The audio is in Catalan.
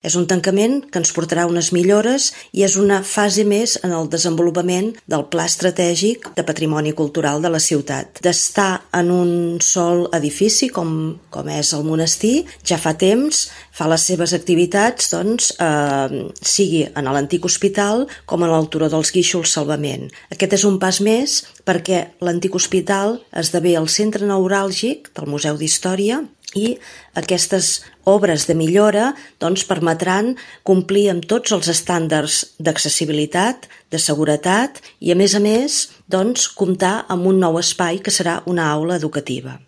És un tancament que ens portarà unes millores i és una fase més en el desenvolupament del Pla Estratègic de Patrimoni Cultural de la ciutat. D'estar en un sol edifici, com és el monestir, ja fa temps, fa les seves activitats, sigui en l'antic hospital com en el Turó dels Guíxols Salvament. Aquest és un pas més perquè l'antic hospital esdevé el centre neuràlgic del Museu d'Història i aquestes obres de millora permetran complir amb tots els estàndards d'accessibilitat, de seguretat i, a més, comptar amb un nou espai que serà una aula educativa.